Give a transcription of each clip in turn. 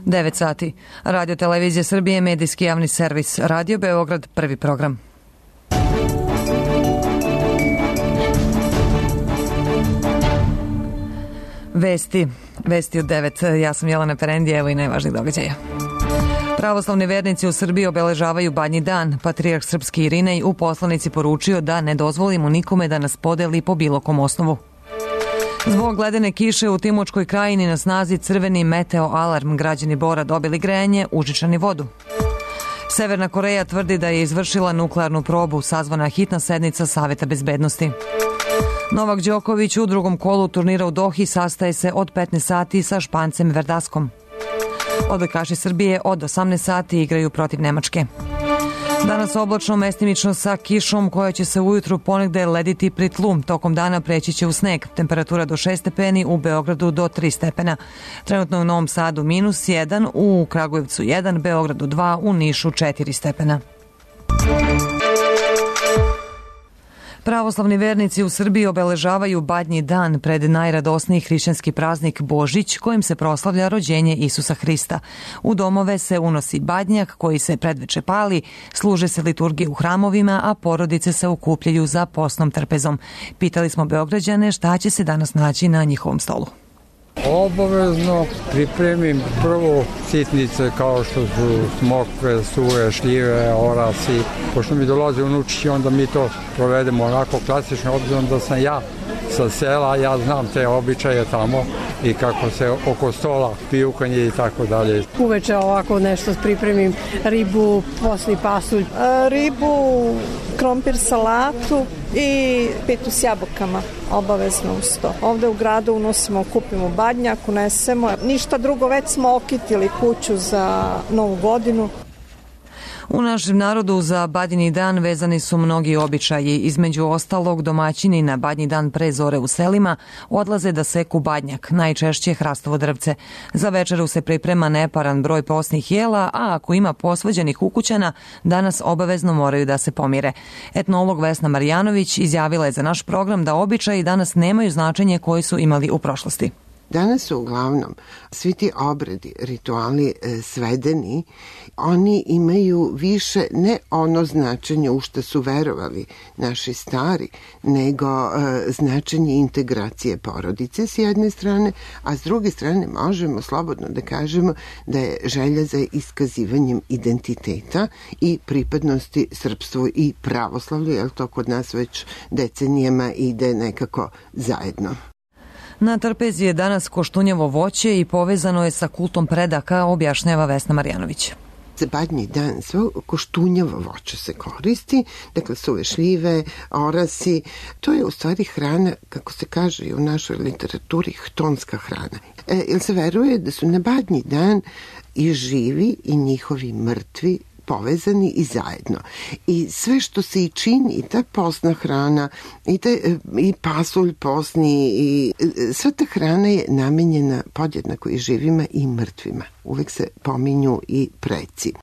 9 sati. Radio Televizija Srbije, medijski javni servis. Radio Beograd, prvi program. Vesti od 9. Ja sam Jelena Perendija, evo i najvažnijih događaja. Pravoslavni vernici u Srbiji obeležavaju Badnji dan. Patrijarh srpski Irinej u poslanici poručio da ne dozvolimo nikome da nas podeli po bilo kom osnovu. Zbog ledene kiše u Timočkoj krajini na snazi crveni meteo alarm. Građani Bora dobili grejanje, užičani vodu. Severna Koreja tvrdi da je izvršila nuklearnu probu. Sazvana hitna sednica Saveta bezbednosti. Novak Đoković u drugom kolu turnira u Dohi sastaje se od 15 sati sa Špancem Verdaskom. Odbojkaši Srbije od 18 sati igraju protiv Nemačke. Danas oblačno, mestimično sa kišom koja će se ujutru ponegde lediti pri tlu. Tokom dana preći će u sneg. Temperatura do 6 stepeni, u Beogradu do 3 stepena. Trenutno u Novom Sadu -1, u Kragujevcu 1, Beogradu 2, u Nišu 4 stepena. Pravoslavni vernici u Srbiji obeležavaju Badnji dan pred najradosniji hrišćanski praznik Božić, kojim se proslavlja rođenje Isusa Hrista. U domove se unosi badnjak koji se predveče pali, služe se liturgije u hramovima, a porodice se okupljaju za postnom trpezom. Pitali smo Beograđane šta će se danas naći na njihovom stolu. Obavezno pripremim prvo sitnice kao što su smokve, suve, šljive, orasi. Pošto mi dolaze unučići, onda mi to provedemo onako klasično, obzirom da sam ja sa sela, ja znam te običaje tamo i kako se oko stola pijukanje i tako dalje. Uveče ovako nešto pripremim, ribu, posli pasulj. Ribu, krompir, salatu i pitu s jabukama, obavezno uz to. Ovde u gradu unosimo, kupimo badnjak, unesemo. Ništa drugo, već smo okitili kuću za Novu godinu. U našem narodu za Badnji dan vezani su mnogi običaji. Između ostalog, domaćini na Badnji dan pre zore u selima odlaze da seku badnjak, najčešće hrastovo drvce. Za večeru se priprema neparan broj posnih jela, a ako ima posvađanih ukućana, danas obavezno moraju da se pomire. Etnolog Vesna Marjanović izjavila je za naš program da običaji danas nemaju značenje koje su imali u prošlosti. Danas su uglavnom svi ti obredi, rituali svedeni, oni imaju više ne ono značenje u što su verovali naši stari, nego značenje integracije porodice s jedne strane, a s druge strane možemo slobodno da kažemo da je želja za iskazivanjem identiteta i pripadnosti srpstvu i pravoslavlju, jer to kod nas već decenijama ide nekako zajedno. Na trpezi je danas koštunjevo voće i povezano je sa kultom predaka, objašnjava Vesna Marjanović. Za Badnji dan svo koštunjevo voće se koristi, dakle suve šljive, orasi. To je u stvari hrana, kako se kaže i u našoj literaturi, htonska hrana. Jer se veruje da su na Badnji dan i živi i njihovi mrtvi povezani i zajedno. I sve što se i čini, i ta posna hrana, i pasulj posni, i sva ta hrana je namenjena podjednako i živima i mrtvima. Uvek se pominju i preci.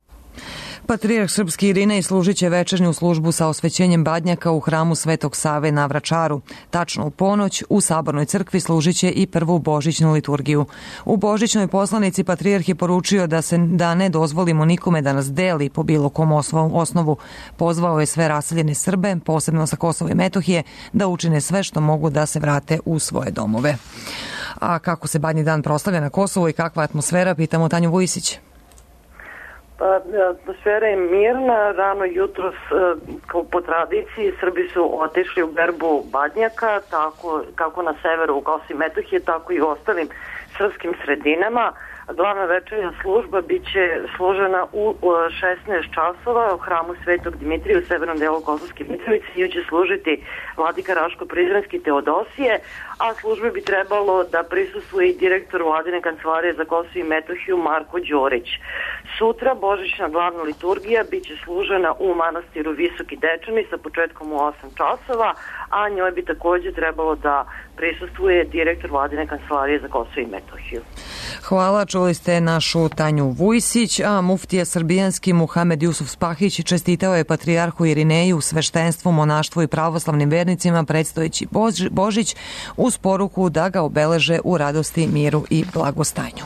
Patrijarh srpski Irinej služit će večernju službu sa osvećenjem badnjaka u hramu Svetog Save na Vračaru. Tačno u ponoć u Sabornoj crkvi služit će i prvu božićnu liturgiju. U božićnoj poslanici patrijarh je poručio da ne dozvolimo nikome da nas deli po bilo kom osnovu. Pozvao je sve raseljene Srbe, posebno sa Kosova i Metohije, da učine sve što mogu da se vrate u svoje domove. A kako se Badnji dan proslavlja na Kosovu i kakva atmosfera, pitamo Tanju Vujisić. Atmosfera je mirna, rano jutros po tradiciji Srbi su otišli u berbu badnjaka, tako kako na severu u Kosovu i Metohije, tako i u ostalim srpskim sredinama. Glavna večernja služba biće služena u 16 časova u hramu Svetog Dimitrija u severnom delu Kosovske Mitrovice. Nju će služiti vladika Raško-Prizrenski Teodosije, a službe bi trebalo da prisustvuje i direktor Vladine kancelarije za Kosovo i Metohiju Marko Đorić. Sutra božićna glavna liturgija biće služena u manastiru Visoki Dečani sa početkom u 8 časova, a njoj bi također trebalo da prisustvuje direktor Vladine kancelarije za Kosovo i Metohiju. Hvala, čuli ste našu Tanju Vujsić, a muftija srbijanski Muhamed Jusuf Spahić čestitao je patrijarhu Irineju, sveštenstvu, monaštvu i pravoslavnim vernicima predstojeći Božić uz poruku da ga obeleže u radosti, miru i blagostanju.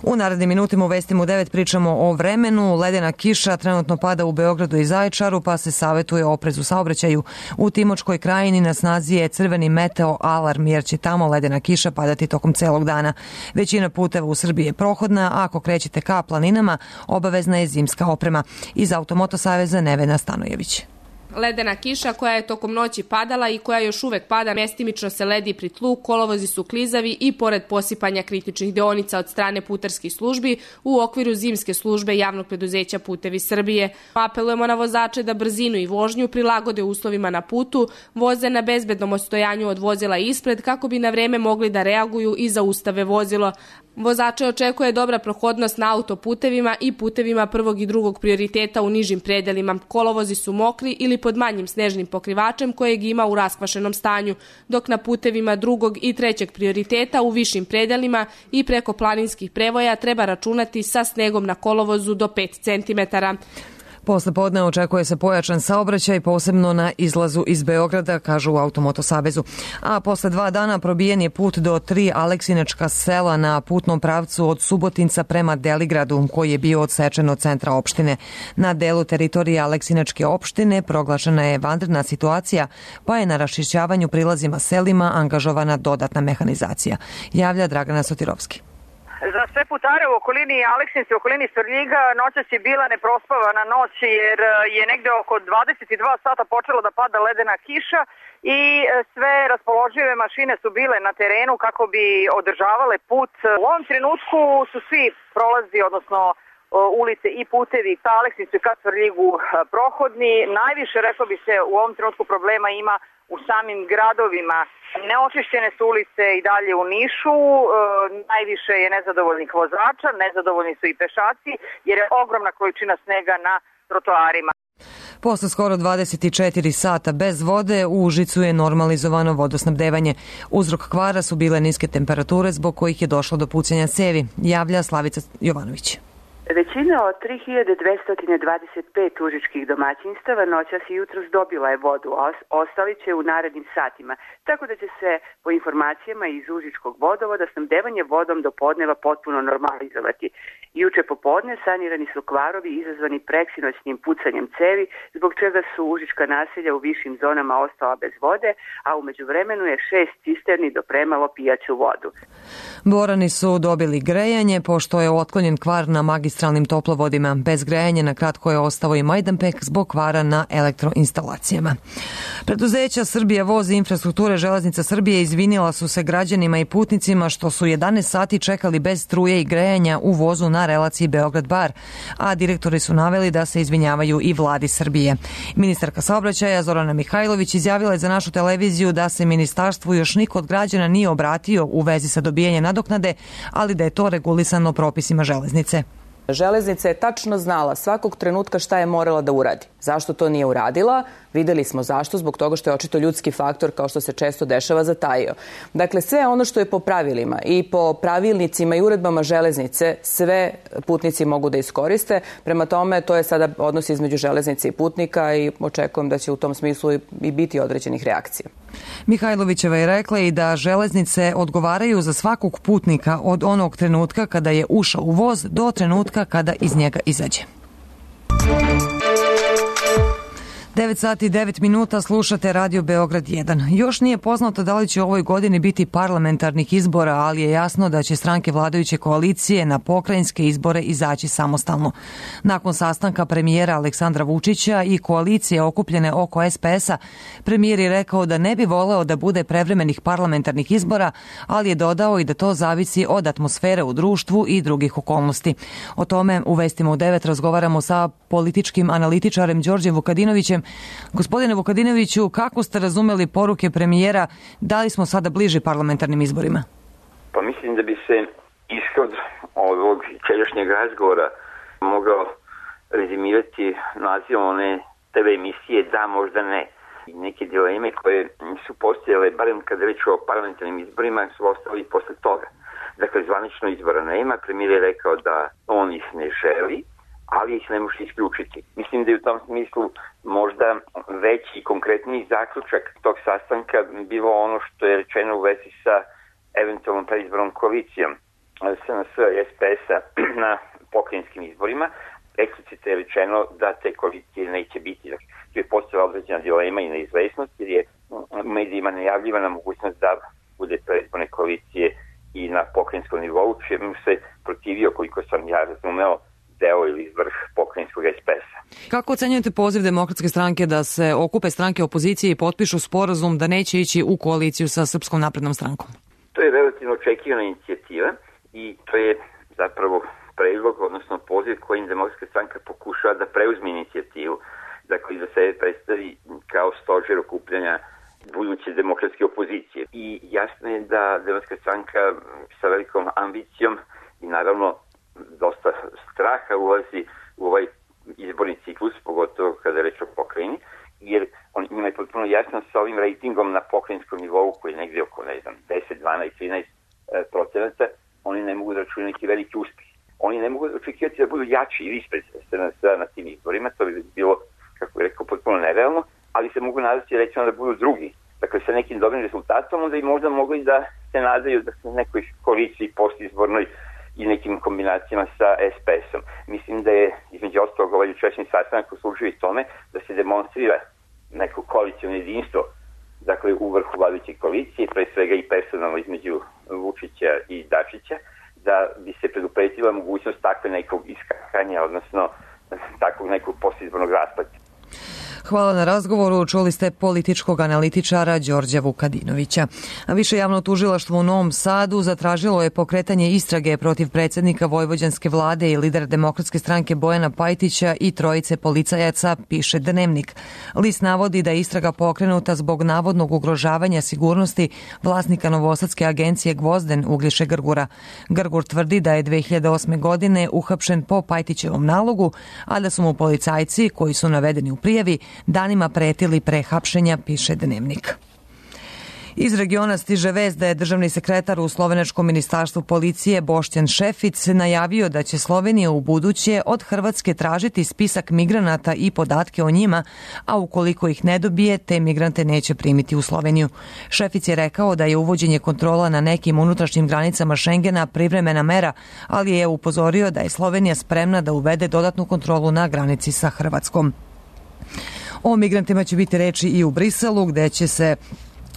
U narednim minutima u Vestima u 9 pričamo o vremenu. Ledena kiša trenutno pada u Beogradu i Zaječaru, pa se savjetuje oprez u saobraćaju. U Timočkoj krajini na snazi je crveni meteo alarm, jer će tamo ledena kiša padati tokom celog dana. Većina puteva u Srbiji je prohodna, a ako krećete ka planinama, obavezna je zimska oprema. Iz Automoto saveza Nevena Stanojević. Ledena kiša koja je tokom noći padala i koja još uvek pada, mestimično se ledi pri tlu, kolovozi su klizavi i pored posipanja kritičnih deonica od strane putarskih službi u okviru zimske službe javnog preduzeća Putevi Srbije. Apelujemo na vozače da brzinu i vožnju prilagode uslovima na putu, voze na bezbednom odstojanju od vozila ispred kako bi na vreme mogli da reaguju i zaustave vozilo. Vozače očekuje dobra prohodnost na autoputevima i putevima prvog i drugog prioriteta u nižim predelima. Kolovozi su mokri ili pod manjim snežnim pokrivačem kojeg ima u raskvašenom stanju, dok na putevima drugog i trećeg prioriteta u višim predelima i preko planinskih prevoja treba računati sa snegom na kolovozu do 5 cm. Posle podne očekuje se pojačan saobraćaj, posebno na izlazu iz Beograda, kažu u Automoto savezu. A posle 2 dana probijen je put do 3 Aleksinačka sela na putnom pravcu od Subotinca prema Deligradu, koji je bio odsečen od centra opštine. Na delu teritorije Aleksinačke opštine proglašena je vanredna situacija, pa je na raščišćavanju prilazima selima angažovana dodatna mehanizacija. Javlja Dragana Sotirovski. Za sve putare u okolini Aleksinca i okolini Svrljiga noćas je bila neprospavana noć, jer je negde oko 22 sata počelo da pada ledena kiša i sve raspoložive mašine su bile na terenu kako bi održavale put. U ovom trenutku su svi prolazi, odnosno ulice i putevi ka Aleksincu i ka Svrljigu prohodni. Najviše, rekao bi se, u ovom trenutku problema ima u samim gradovima. Neočišćene su ulice i dalje u Nišu, najviše je nezadovoljnih vozača, nezadovoljni su i pešaci, jer je ogromna količina snega na trotoarima. Posle skoro 24 sata bez vode u Užicu je normalizovano vodosnabdevanje. Uzrok kvara su bile niske temperature zbog kojih je došlo do pucanja cevi, javlja Slavica Jovanović. Većina od 3225 užičkih domaćinstava noćas i jutros dobila je vodu, a ostali će u narednim satima, tako da će se po informacijama iz užičkog vodovoda snabdevanje vodom do podneva potpuno normalizovati. Juče popodne sanirani su kvarovi izazvani preksinoćnim pucanjem cevi, zbog čega su užička naselja u višim zonama ostala bez vode, a u međuvremenu je 6 cisterni dopremalo pijaću vodu. Borani su dobili grejanje, pošto je otklonjen kvar na magistralnim toplovodima. Bez grejanja na kratko je ostao i Majdanpek zbog kvara na elektroinstalacijama. Preduzeća Srbija voz i infrastrukture Železnica Srbije izvinila su se građanima i putnicima što su 11 sati čekali bez struje i grejanja u vozu na relaciji Beograd-Bar, a direktori su naveli da se izvinjavaju i vladi Srbije. Ministarka saobraćaja Zorana Mihajlović izjavila je za našu televiziju da se ministarstvu još niko od građana nije obratio u vezi sa dobijanjem nadoknade, ali da je to regulisano propisima železnice. Železnica je tačno znala svakog trenutka šta je morala da uradi. Zašto to nije uradila? Videli smo zašto, zbog toga što je očito ljudski faktor, kao što se često dešava, zatajio. Dakle, sve ono što je po pravilima i po pravilnicima i uredbama železnice, sve putnici mogu da iskoriste. Prema tome, to je sada odnos između železnice i putnika i očekujem da će u tom smislu i biti određenih reakcija. Mihajlovićeva je rekla i da železnice odgovaraju za svakog putnika od onog trenutka kada je ušao u voz do trenutka kada iz njega izađe. 9 sati i 9 minuta, slušate Radio Beograd 1. Još nije poznato da li će u ovoj godini biti parlamentarnih izbora, ali je jasno da će stranke vladajuće koalicije na pokrajinske izbore izaći samostalno. Nakon sastanka premijera Aleksandra Vučića i koalicije okupljene oko SPS-a, premijer je rekao da ne bi voleo da bude prevremenih parlamentarnih izbora, ali je dodao i da to zavisi od atmosfere u društvu i drugih okolnosti. O tome u Vestima u 9 razgovaramo sa političkim analitičarem Đorđem Vukadinovićem. Gospodine Vukadinoviću, kako ste razumeli poruke premijera, da li smo sada bliži parlamentarnim izborima? Pa mislim da bi se ishod ovog čeljašnjeg razgovora mogao rezimirati nazivom one TV emisije Da, možda ne. Neke dileme koje su postojale, barem kada reč o parlamentarnim izborima, su ostali posle toga. Dakle, zvanično izbora nema, premijer je rekao da on ih ne želi, ali ih ne može isključiti. Mislim da je u tom smislu možda veći i konkretniji zaključak tog sastanka bilo ono što je rečeno u vezi sa eventualnom predizbornom koalicijom. SNS i SPS-a na pokrajinskim izborima. Eksplicitno je rečeno da te koalicije neće biti. Dakle, tu je postojala određena dilema i neizvesnost, jer je medijima najavljivana mogućnost da bude predizborne koalicije i na pokrajinskom nivou, čemu se protivio, koliko sam ja razumeo, deo ili vrh pokrajinskog SPS-a. Kako ocenjujete poziv Demokratske stranke da se okupe stranke opozicije i potpišu sporazum da neće ići u koaliciju sa Srpskom naprednom strankom? To je relativno očekivana inicijativa i to je zapravo predlog, odnosno poziv kojim Demokratska stranka pokušava da preuzme inicijativu, dakle da se predstavi kao stožer okupljanja buduće demokratske opozicije. I jasno je da Demokratska stranka sa velikom ambicijom i naravno dosta straha ulazi u ovaj izborni ciklus, pogotovo kada je reč o pokrajini, jer njima je potpuno jasno sa ovim rejtingom na pokrajinskom nivou koji je negdje oko, 10, 12, 13%, oni ne mogu da računaju neki veliki uspjeh. Oni ne mogu očekivati da budu jači ili ispred SNS-a na tim izborima, to bi bilo, kako bih rekao, potpuno nerealno, ali se mogu nadati recimo da budu drugi. Dakle, sa nekim dobrim rezultatom, onda i možda mogli da se nadaju da su nekoj koaliciji postizbornoj i nekim kombinacijama sa SPS-om. Mislim da je, između ostalog, ovaj jučerašnji sastanak uslužio i tome da se demonstrira neko koalicijno jedinstvo, dakle, u vrhu vladajuće koalicije, pre svega i personalno između Vučića i Dačića, da bi se predupretila mogućnost takve nekog iskakanja, odnosno takvog nekog postizbornog raspada. Hvala na razgovoru. Čuli ste političkog analitičara Đorđa Vukadinovića. Više javno tužilaštvo u Novom Sadu zatražilo je pokretanje istrage protiv predsjednika vojvođanske vlade i lidera Demokratske stranke Bojana Pajtića i trojice policajaca, piše Dnevnik. List navodi da je istraga pokrenuta zbog navodnog ugrožavanja sigurnosti vlasnika novosadske agencije Gvozden Uglješe Grgura. Grgur tvrdi da je 2008. godine uhapšen po Pajtićevom nalogu, a da su mu policajci, koji su navedeni u prijavi, danima pretili pre hapšenja, piše Dnevnik. Iz regiona stiže vest da je državni sekretar u slovenačkom ministarstvu policije Boštjan Šefic najavio da će Slovenija u buduće od Hrvatske tražiti spisak migranata i podatke o njima, a ukoliko ih ne dobije, te migrante neće primiti u Sloveniju. Šefic je rekao da je uvođenje kontrola na nekim unutrašnjim granicama Šengena privremena mera, ali je upozorio da je Slovenija spremna da uvede dodatnu kontrolu na granici sa Hrvatskom. O migrantima će biti reči i u Briselu, gde će se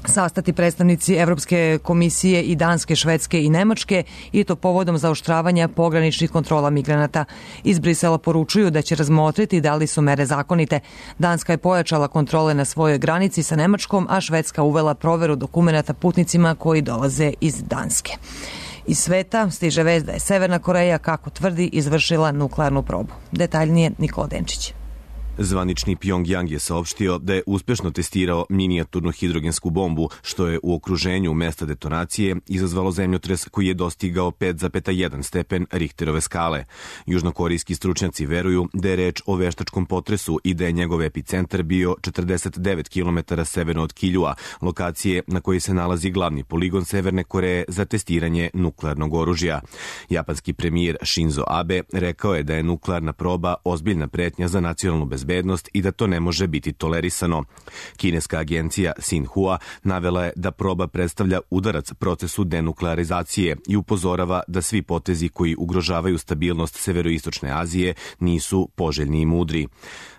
sastati predstavnici Evropske komisije i Danske, Švedske i Nemačke, i to povodom zaoštravanja pograničnih kontrola migranata. Iz Brisela poručuju da će razmotriti da li su mere zakonite. Danska je pojačala kontrole na svojoj granici sa Nemačkom, a Švedska uvela proveru dokumenata putnicima koji dolaze iz Danske. Iz sveta stiže vest da je Severna Koreja, kako tvrdi, izvršila nuklearnu probu. Detaljnije Nikola Denčić. Zvanični Pjongjang je saopštio da je uspešno testirao minijaturnu hidrogensku bombu, što je u okruženju mesta detonacije izazvalo zemljotres koji je dostigao 5,1 stepen Richterove skale. Južnokorijski stručnjaci veruju da je reč o veštačkom potresu i da je njegov epicentar bio 49 km severno od Kiljua, lokacije na kojoj se nalazi glavni poligon Severne Koreje za testiranje nuklearnog oružja. Japanski premijer Shinzo Abe rekao je da je nuklearna proba ozbiljna pretnja za nacionalnu bezbednost i da to ne može biti tolerisano. Kineska agencija Xinhua navela je da proba predstavlja udarac procesu denuklearizacije i upozorava da svi potezi koji ugrožavaju stabilnost severoistočne Azije nisu poželjni i mudri.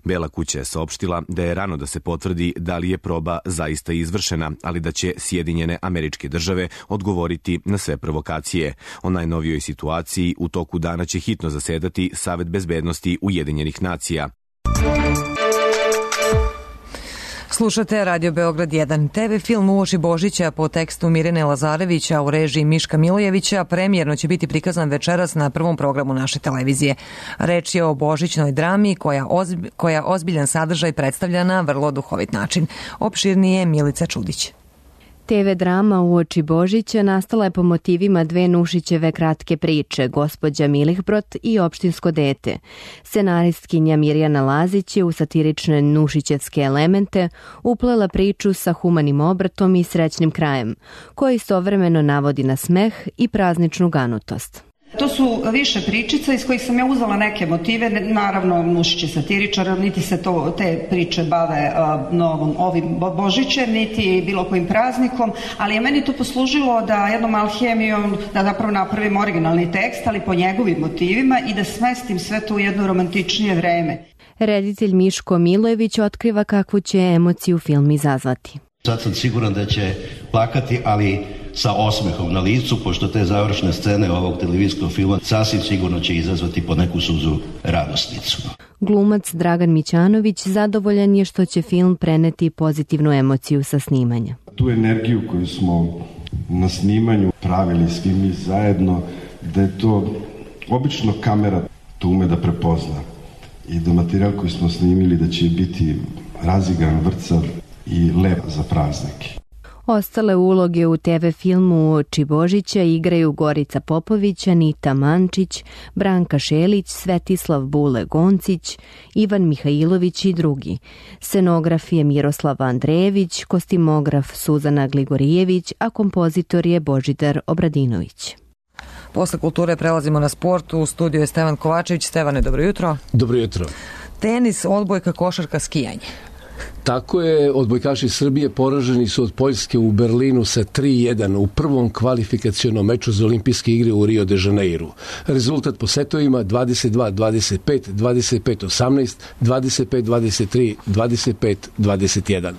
Bela kuća je saopštila da je rano da se potvrdi da li je proba zaista izvršena, ali da će Sjedinjene Američke Države odgovoriti na sve provokacije. O najnovijoj situaciji u toku dana će hitno zasedati Savet bezbednosti Ujedinjenih nacija. Slušate Radio Beograd 1. TV film Uoči Božića po tekstu Mirjane Lazarevića u režiji Miška Milojevića premijerno će biti prikazan večeras na prvom programu naše televizije. Reč je o božićnoj drami koja ozbiljan sadržaj predstavlja na vrlo duhovit način. Opširnije Milica Čudić. TV drama Uoči Božića nastala je po motivima dve Nušićeve kratke priče, Gospođa Milihbrot i Opštinsko dete. Scenaristkinja Mirjana Lazić je u satirične nušićevske elemente uplela priču sa humanim obratom i srećnim krajem, koji istovremeno navodi na smeh i prazničnu ganutost. To su više pričica iz kojih sam ja uzela neke motive. Naravno, Nušić je satiričar, niti se te priče bave ovim Božićem, niti bilo kojim praznikom, ali je meni to poslužilo da jednom alhemijom, da zapravo napravim originalni tekst, ali po njegovim motivima i da smestim sve to u jedno romantičnije vreme. Reditelj Miško Milojević otkriva kakvu će emociju film izazvati. Sad sam siguran da će plakati, ali sa osmehom na licu, pošto te završne scene ovog televizijskog filma sasvim sigurno će izazvati po neku suzu radosnicu. Glumac Dragan Mićanović zadovoljan je što će film preneti pozitivnu emociju sa snimanja. Tu energiju koju smo na snimanju pravili svi mi zajedno, da je to obično kamera to ume da prepozna i da materijal koji smo snimili da će biti razigran, vrcav i lep za praznike. Ostale uloge u TV filmu Uoči Božića igraju Gorica Popović, Anita Mančić, Branka Šelić, Svetislav Bule Goncić, Ivan Mihajlović i drugi. Scenograf je Miroslav Andrejević, kostimograf Suzana Gligorijević, a kompozitor je Božidar Obradinović. Posle kulture prelazimo na sport. U studiju je Stevan Kovačević. Stevane, dobro jutro. Dobro jutro. Tenis, odbojka, košarka, skijanje. Tako je, odbojkaši Srbije poraženi su od Poljske u Berlinu sa 3-1 u prvom kvalifikacionom meču za olimpijske igre u Rio de Janeiru. Rezultat po setovima 22-25, 25-18, 25-23, 25-21.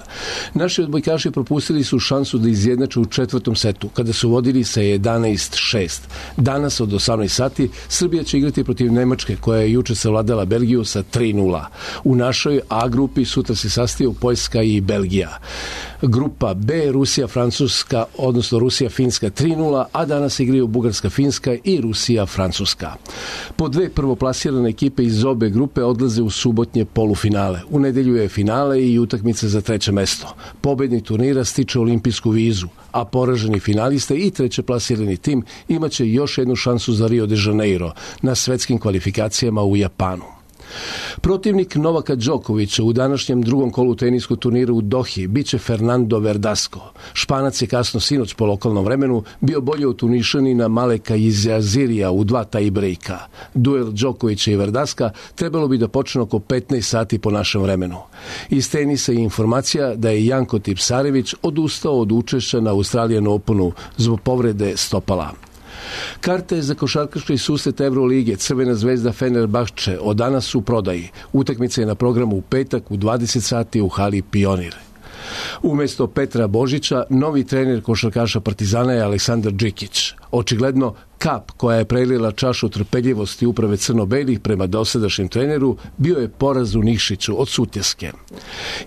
Naši odbojkaši propustili su šansu da izjednače u četvrtom setu, kada su vodili sa 11-6. Danas od 18 sati Srbija će igrati protiv Nemačke, koja je juče savladala Belgiju sa 3-0. U našoj A grupi sutra se sastaju Poljska i Belgija. Grupa B, Rusija-Francuska, odnosno Rusija-Finska 3-0, a danas igraju Bugarska-Finska i Rusija-Francuska. Po dve prvoplasirane ekipe iz obe grupe odlaze u subotnje polufinale. U nedelju je finale i utakmica za treće mesto. Pobednik turnira stiče olimpijsku vizu, a poraženi finaliste i treće plasirani tim imaće još jednu šansu za Rio de Janeiro na svetskim kvalifikacijama u Japanu. Protivnik Novaka Đokovića u današnjem drugom kolu teniskog turnira u Dohi biće Fernando Verdasco. Španac je kasno sinoć po lokalnom vremenu bio bolje od Tunišanina Maleka Izazirija u 2 tie-breaka. Duel Đokovića i Verdaska trebalo bi da počne oko 15 sati po našem vremenu. Iz tenisa je informacija da je Janko Tipsarević odustao od učešća na Australian Openu zbog povrede stopala. Karte za košarkaški susret Evrolige Crvena zvezda Fenerbahče od danas u prodaji. Utakmica je na programu u petak u 20 sati u hali Pionir. Umjesto Petra Božića, novi trener košarkaša Partizana je Aleksandar Džikić. Očigledno, kap koja je prelila čašu trpeljivosti uprave crno-belih prema dosadašnjem treneru bio je poraz u Nikšiću od Sutjeske.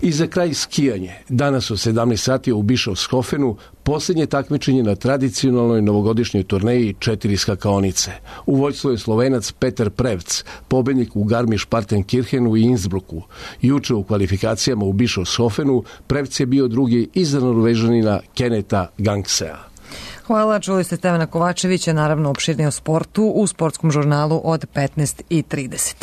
I za kraj skijanje. Danas u 17 sati u Bischofshofenu posljednje takmičenje na tradicionalnoj novogodišnjoj turneji 4 skakaonice. U vođstvu je Slovenac Petar Prevc, pobednik u Garmisch-Partenkirchenu i Innsbrucku. Juče u kvalifikacijama u Bischofshofenu Prevc je bio drugi iza Norvežanina Keneta Gangsea. Hvala, čuli ste Stevana Kovačevića, naravno opširnije o sportu u sportskom žurnalu od 15:30.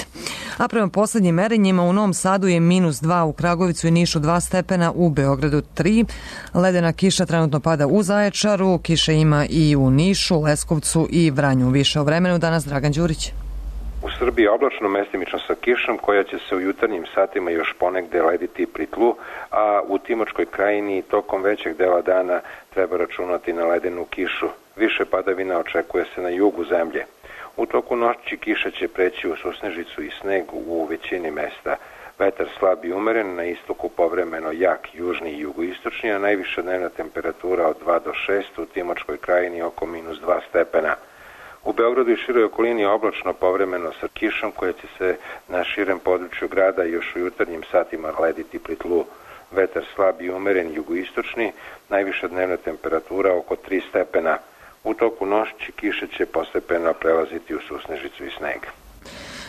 A prema poslednjim merenjima u Novom Sadu je -2, u Kragovicu i Nišu 2 stepena, u Beogradu 3. Ledena kiša trenutno pada u Zaječaru, kiše ima i u Nišu, Leskovcu i Vranju. Više o vremenu danas Dragan Đurić. U Srbiji oblačno, mestimično sa kišom, koja će se u jutarnjim satima još ponegde lediti pri tlu, a u Timočkoj krajini tokom većeg dela dana treba računati na ledenu kišu. Više padavina očekuje se na jugu zemlje. U toku noći kiša će preći u susnežicu i sneg u većini mesta. Vetar slab i umeren, na istoku povremeno jak, južni i jugoistočni, a najviša dnevna temperatura od 2 do 6, u Timočkoj krajini oko -2 stepena. U Beogradu i široj okolini oblačno povremeno sa kišom koja će se na širem području grada još u jutarnjim satima lediti pri tlu. Vetar slab i umeren jugoistočni, najviša dnevna temperatura oko 3 stepena. U toku noći kiše će postepeno prelaziti u susnežicu i sneg.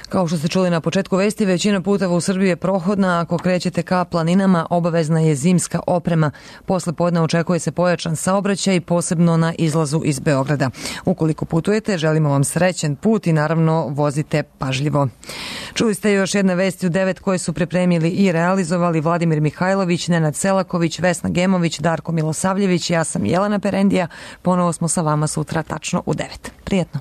Kao što ste čuli na početku vesti, većina puteva u Srbiji je prohodna. Ako krećete ka planinama, obavezna je zimska oprema. Posle podne očekuje se pojačan saobraćaj, posebno na izlazu iz Beograda. Ukoliko putujete, želimo vam srećan put i naravno vozite pažljivo. Čuli ste još jedne vesti u 9 koje su pripremili i realizovali Vladimir Mihajlović, Nenad Selaković, Vesna Gemović, Darko Milosavljević. Ja sam Jelena Perendija. Ponovo smo sa vama sutra tačno u 9. Prijetno.